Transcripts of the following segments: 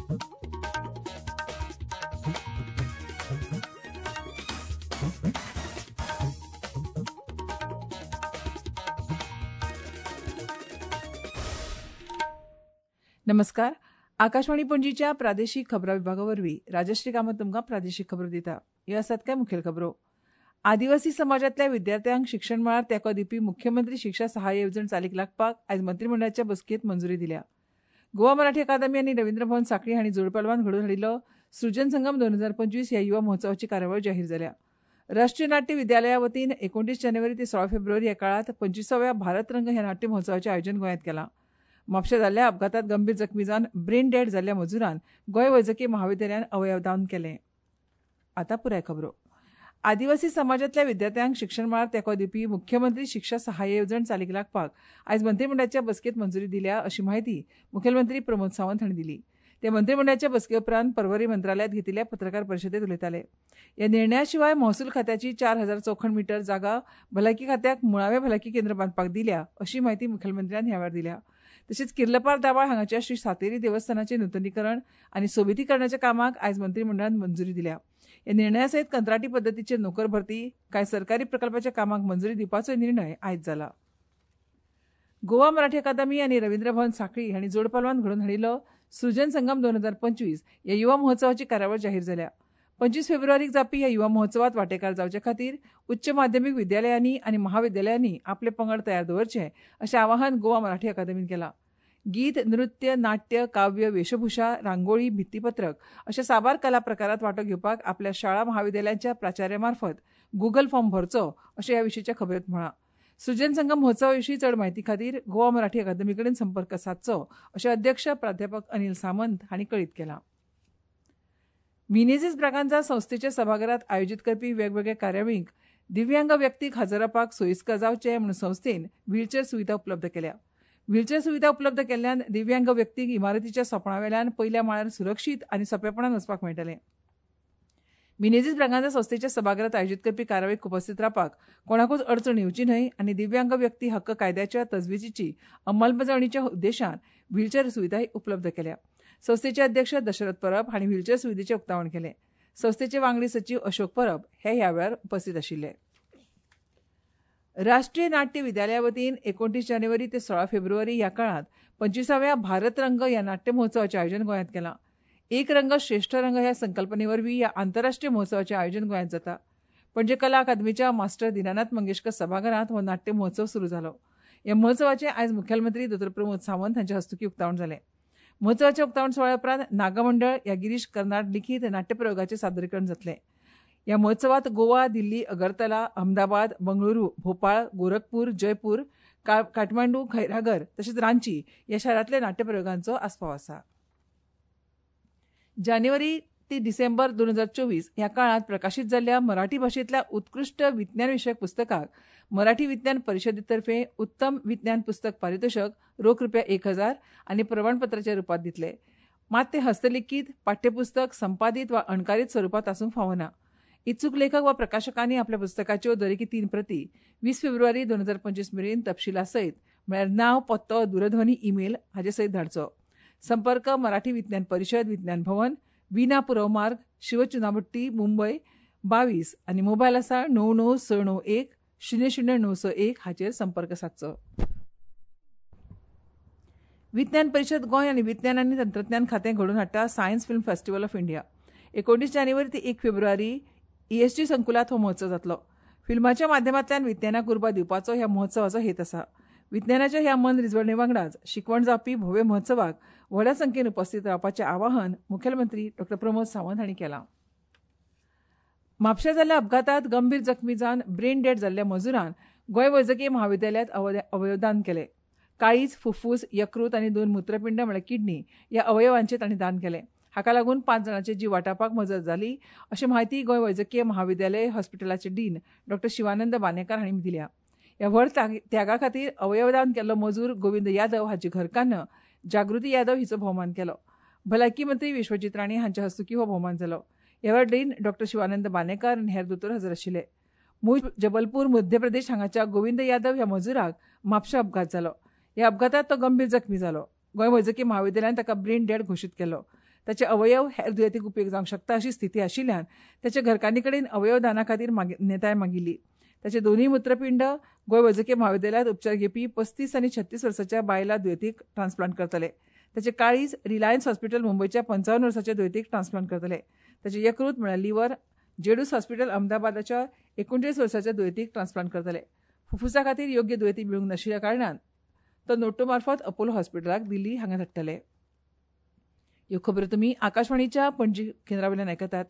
नमस्कार. आकाशवाणी पणजीच्या प्रादेशिक खबरां विभागा वरवीं राजश्री कामत तुमकां प्रादेशिक खबरो दिता. ह्यो आसात कांय मुखेल खबरो. आदिवासी समाजांतल्या विद्यार्थ्यांक शिक्षण मळार तेंको दिवपी मुख्यमंत्री शिक्षा सहाय्य येवजण चालीक लागपाक आयज मंत्रीमंडळाच्या बसकेंत मंजुरी दिल्या. गोवा मराठी अकादमी आनी रवींद्र भवन सांखळी हांणी जोडपालवान घडोवन हाडिल्लो सृजन संगम 2025 ह्या युवा महोत्सवाची कार्यावळ जाहीर जाल्या. राष्ट्रीय नाट्य विद्यालया वतीन 29 जानेवारी ते 16 फेब्रुवारी ह्या काळांत 25व्या भारत रंग ह्या नाट्य महोत्सवाचें आयोजन गोंयांत केलां. म्हापशा जाल्ल्या अपघातात गंभीर जखमी जावन ब्रेन डेड जाल्ल्या मजुरान गोंय वैजकी महाविद्यालयान अवयवदान केलें. आतां पुराय खबरो. आदिवासी समाजांतल्या विद्यार्थ्यांक शिक्षण मळार तेंको दिवपी मुख्यमंत्री शिक्षा सहाय्य येवजण चालीक लागपाक आयज मंत्रीमंडळाच्या बसकेंत मंजुरी दिल्या अशी म्हायती मुखेलमंत्री प्रमोद सावंत हांणी दिली. ते मंत्रीमंडळाच्या बसके उपरांत पर्वरी मंत्रालयांत घेतिल्ल्या पत्रकार परिशदेंत उलयताले. ह्या निर्णया शिवाय महसूल खात्याची 4000 चौखण मिटर जागा भलायकी खात्याक मुळावें भलायकी केंद्र बांदपाक दिल्या अशी म्हायती मुखेलमंत्र्यान ह्या वेळार दिल्या. तशेंच किर्लपार दाबाळ हांगाच्या श्री सातेरी देवस्थानाचें नुतनीकरण आनी सोबितीकरणाच्या कामाक आयज मंत्रीमंडळान मंजुरी दिल्या. ह्या निर्णया सयत कंत्राटी पद्दतीचेर नोकर भरती, कांय सरकारी प्रकल्पाच्या कामाक मंजुरी दिवपाचोय निर्णय आयज जाला. गोवा मराठी अकादमी आनी रवींद्र भवन सांखळी हांणी जोडपालवान घडोवन हाडिल्लो सृजन संगम 2025 ह्या युवा महोत्सवाची कार्यावळ जाहीर जाल्या. 25 फेब्रुवारीक जावपी ह्या युवा महोत्सवात वांटेकार जावचे खातीर उच्च माध्यमीक विद्यालयांनी आनी महाविद्यालयांनी आपले पंगड तयार दवरचे अशें आवाहन गोवा मराठी अकादमीन केलां. गीत, नृत्य, नाट्य, काव्य, वेशभूषा, रांगोळी, भित्तीपत्रक अशा साबार कला प्रकारात वांटो घेवपाक आपल्या शाळा महाविद्यालयांच्या प्राचार्यामार्फत गुगल फॉर्म भरचो अशें ह्या विशींच्या खबरेंत म्हळां. सृजन संगम महोत्सवा विशीं चड म्हायती खातीर गोवा मराठी अकादमी कडेन संपर्क सादचो अशें अध्यक्ष प्राध्यापक अनिल सामंत हांणी कळीत केलां. मिनेझीस ब्रागांझा संस्थेच्या सभाघरात आयोजीत करपी वेगवेगळ्या कार्यावळींक दिव्यांग व्यक्तीक हजर रावपाक सोयीस्कर जावचें म्हूण संस्थेन व्हीलचेर सुविधा उपलब्ध केल्या. व्हीलचेर सुविधा उपलब्ध केल्ल्यान दिव्यांग व्यक्तींक इमारतीच्या सोंपणा वेल्यान पयल्या माळ्यार सुरक्षीत आनी सोंपेपणान वचपाक मेळटलें. मिनेझीस ब्रागांझा संस्थेच्या सभाघरात आयोजीत करपी कार्यावळीक उपस्थित रावपाक कोणाकूच अडचण येवची न्हय आनी दिव्यांग व्यक्ती हक्क कायद्याच्या तजवीजीची अंमलबजावणीच्या उद्देशान व्हीलचेर सुविधाय उपलब्ध केल्या. संस्थेचे अध्यक्ष दशरथ परब हांणी व्हीलचेर सुविधेचें उक्तावण केलें. संस्थेचे वांगडी सचीव अशोक परब हे ह्या वेळार उपस्थित आशिल्ले. राष्ट्रीय नाट्य विद्यालया वतीन 29 जानेवारी ते 16 फेब्रुवारी ह्या काळांत 25व्या भारत रंग ह्या नाट्य महोत्सवाचें आयोजन गोंयांत केलां. एक रंग श्रेष्ठ रंग ह्या संकल्पने वरवीं ह्या आंतरराष्ट्रीय महोत्सवाचें आयोजन गोंयांत जाता. पणजे कला अकादमीच्या मास्टर दीनानाथ मंगेशकर सभाघरांत हो नाट्य महोत्सव सुरू जालो. ह्या महोत्सवाचें आयज मुखेलमंत्री दोतोर प्रमोद सावंत हांच्या हस्तुकीं उक्तावण जालें. महोत्सवाच्या उक्तावण सुवाळ्या उपरांत नागमंडळ ह्या गिरीश कर्नाड लिखीत नाट्यप्रयोगाचें सादरीकरण जातलें. ह्या महोत्सवात गोवा, दिल्ली, अगरतला, अहमदाबाद, बंगळुरू, भोपाळ, गोरखपूर, जयपूर, काठमांडू, खैरागर तशेंच रांची ह्या शारांतल्या नाट्यप्रयोगांचो आस्पाव आसा. जानेवारी ते डिसेंबर 2024 ह्या काळांत प्रकाशीत जाल्ल्या मराठी भाशेंतल्या उत्कृश्ट विज्ञान विशयक पुस्तकाक मराठी विज्ञान परिशदेतर्फे उत्तम विज्ञान पुस्तक पारितोषक रोख रुपया 1000 आनी प्रमाणपत्राच्या रुपात दितले. मात ते हस्तलिखीत, पाठ्यपुस्तक, संपादीत वा अणकारीत स्वरुपात आसूंक फावना. इत्सूक लेखक वा प्रकाशकांनी आपल्या पुस्तकाच्यो दरेकी 3 प्रती 20 फेब्रुवारी 2025 मेरेन तपशिला सयत म्हळ्यार नांव, पत्तो, दूरध्वनी, ईमेल हाचे सयत धाडचो. संपर्क मराठी विज्ञान परिशद, विज्ञान भवन, विना पुरव मार्ग, शिवचुनाभट्टी, मुंबय 22 आनी मोबायल आसा 99691 00961 हाचेर संपर्क सादचो. विज्ञान परिशद गोंय आनी विज्ञान आनी तंत्रज्ञान खातें घडोवन हाडटा science film festival of India. 29 जानेवारी ते 1 फेब्रुवारी ईएसजी संकुलांत हो महोत्सव जातलो. फिल्माच्या माध्यमांतल्यान विज्ञानाक उर्बा दिवपाचो ह्या महोत्सवाचो हेत आसा. विज्ञानाच्या ह्या मन रिजवणे वांगडाच शिकवण जावपी भव्य महोत्सवाक व्हडा संख्येन उपस्थित रावपाचें आवाहन मुखेलमंत्री डॉ प्रमोद सावंत हांणी केलां. म्हापशा जाल्ल्या अपघातात गंभीर जखमी जावन ब्रेन डेड जाल्ल्या मजुरान गोंय वैजकी महाविद्यालयांत अवयवदान केलें. काळीज, फुफ्फूस, यकृत आनी 2 मूत्रपिंड म्हळ्यार किडनी ह्या अवयवांचें तांणी दान केलें. हाका लागून 5 जाणांचे जीव वाटावपाक मजत जाली अशी म्हायती गोंय वैजकीय महाविद्यालय हॉस्पिटलाचे डीन डॉ शिवानंद बानेकार हांणी दिल्या. ह्या व्हड त्यागा खातीर अवयवदान केल्लो मजूर गोविंद यादव हाची घरकान्न जागृती यादव हिचो भोवमान केलो. भलायकी मंत्री विश्वजीत राणे हांच्या हस्तुकीं हो भोवमान जालो. ह्या वेळार डीन डॉ शिवानंद बानेकार आनी हेर दोतोर हजर आशिल्ले. मूळ जबलपूर मध्य प्रदेश हांगाच्या गोविंद यादव ह्या मजुराक म्हापशा अपघात जालो. ह्या अपघातात तो गंभीर जखमी जालो. गोंय वैजकी महाविद्यालयान ताका ब्रेन डेड घोशीत केलो. ताचे अवयव हेर दुयेंतीक उपेग जावंक शकता अशी स्थिती आशिल्ल्यान ताच्या घरकान्नी कडेन अवयवदाना खातीर मान्यताय मागिल्ली. ताचे दोनूय मूत्रपिंड गोंय वैजकी म्हाविद्यालयांत उपचार घेवपी 35 आनी 36 वर्साच्या बायला दुयेंतीक ट्रान्सप्लांट करतले. ताचे काळीज रिलायन्स हॉस्पिटल मुंबयच्या 55 वर्साच्या दुयेंतीक ट्रान्सप्लांट करतले. ताचे यकृत म्हळ्यार लिव्हर जेडूस हॉस्पिटल अहमदाबादाच्या 39 वर्साच्या दुयेंतीक ट्रान्सप्लांट करतले. फुफ्फुसा खातीर योग्य दुयेंती मेळूंक नाशिल्ल्या कारणान तो नोटो मार्फत अपोलो हॉस्पिटलाक दिल्ली हांगा धाडटले. ह्यो खबरो तुमी आकाशवाणीच्या पणजी केंद्रा वयल्यान आयकतात.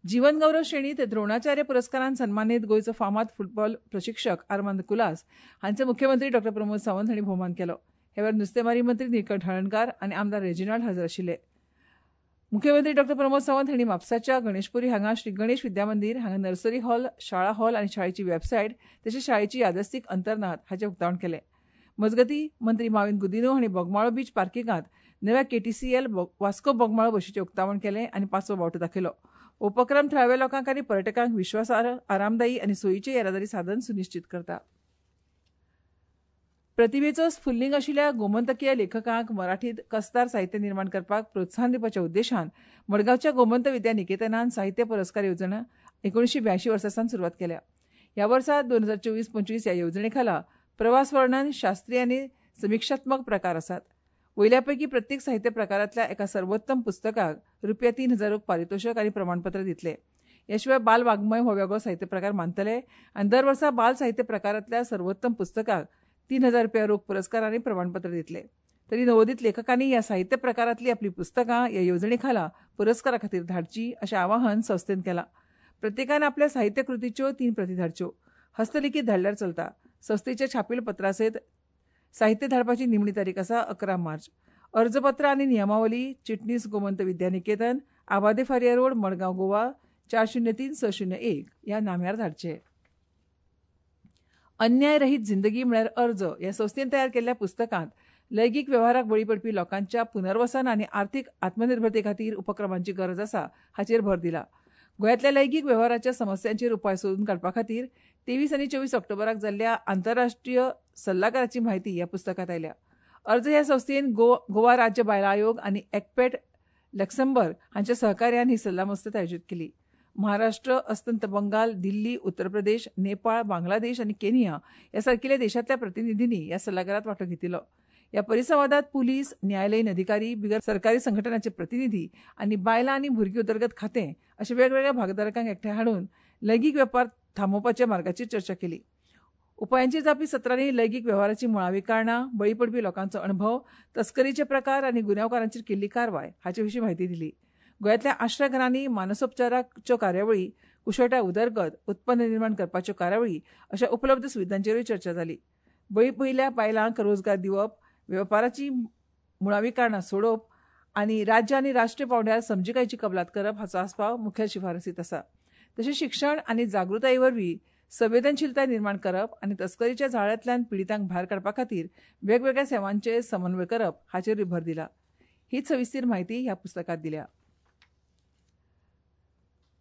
जीवन गौरव श्रेणीत द्रोणाचार्य पुरस्कारान सन्मानीत गोंयचो फामाद फुटबॉल प्रशिक्षक आर्मांद कुलास हांचो मुख्यमंत्री डॉ प्रमोद सावंत हांणी भोवमान केलो. ह्या वेळार नुस्तेमारी मंत्री निळकंठ हळर्णकार आनी आमदार रेजिनाल्ड हजर आशिल्ले. मुख्यमंत्री डॉ प्रमोद सावंत हांणी म्हापसाच्या गणेशपुरी हांगा श्री गणेश विद्या मंदीर हांगा नर्सरी हॉल, शाळा हॉल आनी शाळेची वेबसायट तशेंच शाळेची यादस्तीक अंतर्नाद हाचें उक्तावण केलें. मजगतीं मंत्री माविन गुदिन्हो हांणी बोगमाळो बीच पार्किंगांत नव्या केटीसीएल वास्को बोगमाळो बशीचें उक्तावण केलें आनी पांचवो बावटो दाखयलो. उपक्रम थळाव्या लोकांक आनी पर्यटकांक विश्वासार्ह, आरामदायी आनी सोयीचें येरादारी साधन सुनिश्चीत करता. प्रतिभेचो स्फुल्लिंग आशिल्ल्या गोमंतकीय लेखकांक मराठीत कसदार साहित्य निर्माण करपाक प्रोत्साहन दिवपाच्या उद्देशान मडगांवच्या गोमंत विद्या निकेतनान साहित्य पुरस्कार येवजण 1982 वर्सा सावन सुरवात केल्या. ह्या वर्सा 2024-25 ह्या येवजणे खाला प्रवास वर्णन, शास्त्रीय आनी समिक्षात्मक प्रकार आसात. वयल्या पैकी प्रत्येक साहित्य प्रकारांतल्या एका सर्वोत्तम पुस्तकाक ₹3,000 पारितोषक आनी प्रमाणपत्र दितले. ह्या शिवाय बाल वाङ्मय हो वेगळो साहित्य प्रकार मानतले आनी दर वर्सा बाल साहित्य प्रकारांतल्या सर्वोत्तम पुस्तकाक ₹3,000 रोख पुरस्कार आनी प्रमाणपत्र दितले. तरी नवोदित लेखकांनी ह्या साहित्य प्रकारांतली आपली पुस्तकां ह्या येवजणे खाला पुरस्कारा खातीर धाडची अशें आवाहन संस्थेन केलां. प्रत्येकान आपल्या साहित्यकृतीच्यो 3 प्रती धाडच्यो. हस्तलिखीत धाडल्यार चलता. संस्थेच्या छापील पत्रासयत साहित्य धाडपाची निमणी तारीख आसा 11 मार्च. अर्जपत्र आनी नियमावली चिटणीस गोमंत विद्या निकेतन, आबादे फारिया रोड, मडगांव, गोवा 403601 ह्या नाम्यार धाडचे. अन्याय रहीत जिंदगी म्हळ्यार अर्ज ह्या संस्थेन तयार केल्ल्या पुस्तकांत लैंगीक वेव्हाराक बळी पडपी लोकांच्या पुनर्वसन आनी आर्थीक आत्मनिर्भरते खातीर उपक्रमांची गरज आसा हाचेर भर दिला. गोंयांतल्या लैंगीक वेव्हाराच्या समस्यांचेर उपाय सोदून काडपा खातीर 23 आनी 24 ऑक्टोबराक जाल्ल्या आंतरराष्ट्रीय सल्लागाराची म्हायती ह्या पुस्तकांत आयल्या. अर्ज ह्या संस्थेन गोवा राज्य बायलां आयोग आनी एक्पेट लक्संबर्ग हांच्या सहकार्यान ही सल्लामसलत आयोजीत केली. महाराष्ट्र, अस्तंत बंगाल, दिल्ली, उत्तर प्रदेश, नेपाळ, बांगलादेश आनी केनिया ह्या सारकिल्या देशांतल्या प्रतिनिधींनी ह्या सल्लागारात वांटो घेतिल्लो. ह्या परिसंवादात पुलीस, न्यायालयीन अधिकारी, बिगर सरकारी संघटनांचे प्रतिनिधी आनी बायलां आनी भुरगीं उदरगत खातें अशा वेगवेगळ्या भागधारकांक एकठांय हाडून लैंगीक वेपार थांबोवपाच्या मार्गाचेर चर्चा केली. उपायांचेर जावपी सत्रांनी लैंगीक वेव्हाराची मुळावी कारणां, बळी पडपी लोकांचो अणभव, तस्करीचे प्रकार आनी गुन्यांवकारांचेर केल्ली कारवाय हाचे विशीं म्हायती दिली. गोंयांतल्या आश्रय घरांनी मानसोपचाराच्यो कार्यावळी, कुशळटाय उदरगत, उत्पन्न निर्माण करपाच्यो कार्यावळी अशा उपलब्ध सुविधांचेरूय चर्चा जाली. बळी पडिल्ल्या बायलांक रोजगार दिवप, वेपाराची मुळावी कारणां सोडोवप आनी राज्य आनी राष्ट्रीय पांवड्यार समजिकायेची कबलात करप हाचो आस्पाव मुखेल शिफारसींत आसा. तशेंच शिक्षण आनी जागृताये वरवीं संवेदनशीलताय निर्माण करप आनी तस्करीच्या जाळ्यांतल्यान पिडितांक भायर काडपा खातीर वेगवेगळ्या सेवांचे समन्वय करप हाचेरूय भर दिला. हीच सविस्तर म्हायती ह्या पुस्तकांत दिल्या.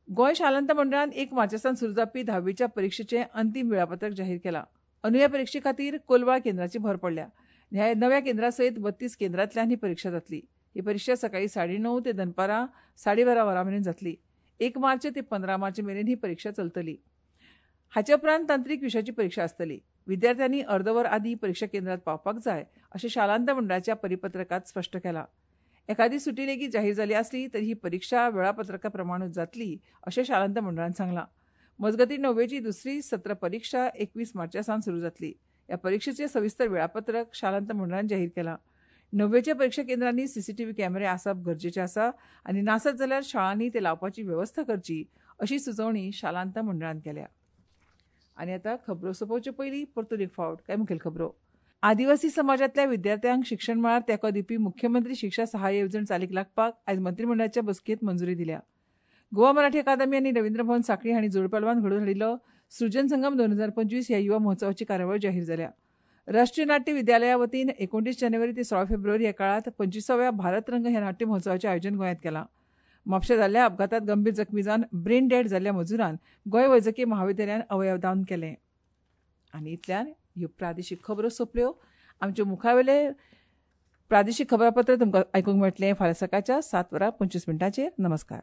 गोंय शालांत मंडळान 1 मार्चा सावन सुरू जावपी 10वीच्या परिक्षेचें अंतीम वेळापत्रक जाहीर केलां. अंदूं ह्या परिक्षे खातीर कोलवाळ केंद्राची भर पडल्या. ह्या नव्या केंद्रा सयत 32 केंद्रांतल्यान ही परिक्षा जातली. ही परिक्षा सकाळी 9:30 ते दनपारां 12:30 वरां मेरेन जातली. 1 मार्च ते 15 मार्च मेरेन ही परिक्षा चलतली. हाचे उपरांत तांत्रीक विशयाची परिक्षा आसतली. विद्यार्थ्यांनी अर्दवर आदी परिक्षा केंद्रात पावपाक जाय अशें शालांत मंडळाच्या परिपत्रकांत स्पश्ट केलां. एखादी सुटी लेगीत जाहीर जाली आसली तरी ही परिक्षा वेळापत्रका प्रमाणूच जातली अशें शालांत मंडळान सांगलां. मजगतीं 9वेची दुसरी सत्र परिक्षा 21 मार्चा सावन सुरू जातली. ह्या परिक्षेचें सविस्तर वेळापत्रक शालांत मंडळान जाहीर केलां. 9वेच्या परिक्षा केंद्रांनी सीसीटीव्ही कॅमेरे आसप गरजेचें आसा आनी नासत जाल्यार शाळांनी ते लावपाची वेवस्था करची अशी सुचोवणी शालांत मंडळान केल्या. आनी आतां खबरो सोंपोवचे पयलीं परतून एक फावट कांय मुखेल खबरो. आदिवासी समाजांतल्या विद्यार्थ्यांक शिक्षण मळार तेंको दिवपी मुख्यमंत्री शिक्षा सहाय्य येवजण चालीक लागपाक आयज मंत्रिमंडळाच्या बसकेंत मंजुरी दिल्या. गोवा मराठी अकादमी आनी रवींद्र भवन सांखळी हांणी जोडपालवान घडोवन हाडिल्लो सृजन संगम 2025 ह्या युवा महोत्सवाची कार्यावळ जाहीर जाल्या. राष्ट्रीय नाट्य विद्यालया वतीन 29 जानेवारी ते 16 फेब्रुवारी ह्या काळांत 25व्या भारत रंग ह्या नाट्य महोत्सवाचें आयोजन गोंयांत केलां. म्हापशा जाल्ल्या अपघातांत गंभीर जखमी जावन ब्रेन डेड जाल्ल्या मजुरान गोंय वैजकी महाविद्यालयान अवयवदान केलें. आनी इतल्यान ह्यो प्रादेशीक खबरो सोंपल्यो. आमच्यो मुखावेले प्रादेशीक खबरापत्र तुमकां आयकूंक मेळटलें फाल्यां सकाळच्या 7:25. नमस्कार.